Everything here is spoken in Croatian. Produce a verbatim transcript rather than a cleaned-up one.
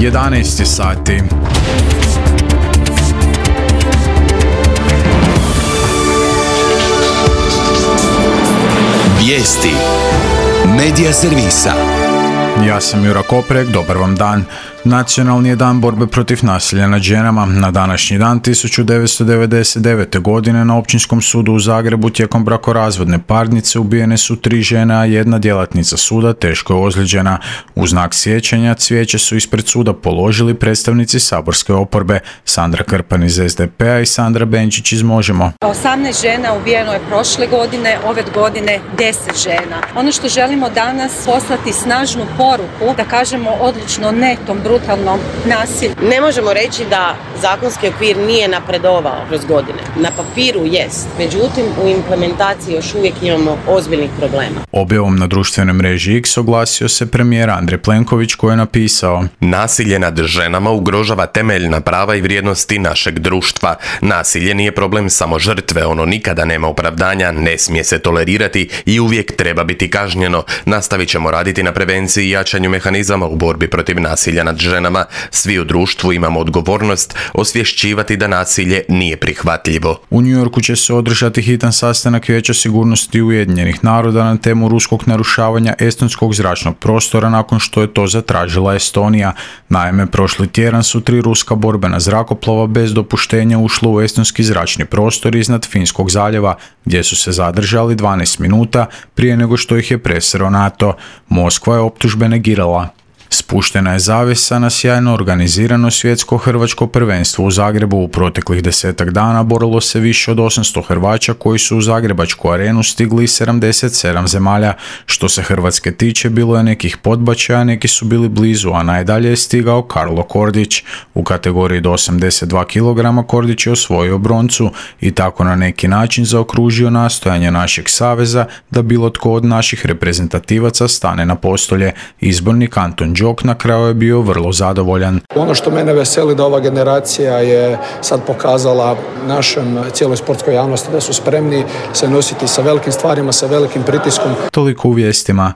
jedanaest sati. Vijesti Medija servisa. Ja sam Jura Koprek, dobar vam dan. Nacionalni je dan borbe protiv nasilja nad ženama. Na današnji dan tisuću devetsto devedeset devete. godine na Općinskom sudu u Zagrebu tijekom brakorazvodne parnice ubijene su tri žene, a jedna djelatnica suda teško je ozlijeđena. U znak sjećanja cvijeće su ispred suda položili predstavnici saborske oporbe Sandra Krpan iz S D P-a i Sandra Benčić iz Možemo. osamnaest žena ubijeno je prošle godine, ove godine deset žena. Ono što želimo danas poslati snažnu poruku, da kažemo odlučno ne tom brutalnom nasilju. Ne možemo reći da zakonski okvir nije napredovao kroz godine. Na papiru jest, međutim u implementaciji još uvijek imamo ozbiljnih problema. Objavom na društvenoj mreži X oglasio se premijer Andrej Plenković koji je napisao: Nasilje nad ženama ugrožava temeljna prava i vrijednosti našeg društva. Nasilje nije problem samo žrtve, ono nikada nema opravdanja, ne smije se tolerirati i uvijek treba biti kažnjeno. Nastavit ćemo raditi na prevenciji i jačanju mehanizama u borbi protiv nasilja nad ženama. Svi u društvu imamo odgovornost osvješćivati da nasilje nije prihvatljivo. U New Yorku će se održati hitan sastanak Vijeća sigurnosti Ujedinjenih naroda na temu ruskog narušavanja estonskog zračnog prostora nakon što je to zatražila Estonija. Naime, prošli tjedan su tri ruska borbena zrakoplova bez dopuštenja ušla u estonski zračni prostor iznad Finskog zaljeva, gdje su se zadržali dvanaest minuta prije nego što ih je presreo NATO. Moskva je optužbe negirala. Spuštena je zavjesa na sjajno organizirano svjetsko hrvačko prvenstvo u Zagrebu. U proteklih desetak dana borilo se više od osamsto Hrvaća koji su u Zagrebačku arenu stigli iz sedamdeset sedam zemalja. Što se Hrvatske tiče, bilo je nekih podbačaja, neki su bili blizu, a najdalje je stigao Karlo Kordić. U kategoriji do osamdeset dva kilograma Kordić je osvojio broncu i tako na neki način zaokružio nastojanje našeg saveza da bilo tko od naših reprezentativaca stane na postolje. Izbornik Anton Đok na kraju je bio vrlo zadovoljan. Ono što mene veseli da ova generacija je sad pokazala našem cijeloj sportskoj javnosti da su spremni se nositi sa velikim stvarima, sa velikim pritiskom. Toliko u vijestima.